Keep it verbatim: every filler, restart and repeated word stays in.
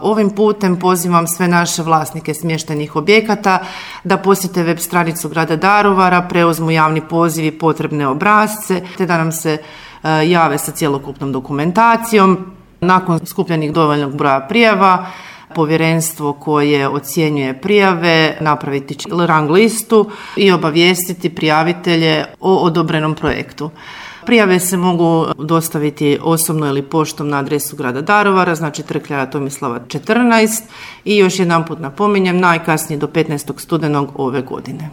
Ovim putem pozivam sve naše vlasnike smještajnih objekata da posjete web stranicu grada Daruvara, preuzmu javni poziv i potrebne obrasce, te da nam se jave sa cjelokupnom dokumentacijom. Nakon skupljenih dovoljnog broja prijava, povjerenstvo koje ocjenjuje prijave napraviti će rang listu i obavijestiti prijavitelje o odobrenom projektu. Prijave se mogu dostaviti osobno ili poštom na adresu grada Daruvara, znači Trg kralja Tomislava četrnaest, i još jedanput napominjem, najkasnije do petnaestog studenog ove godine.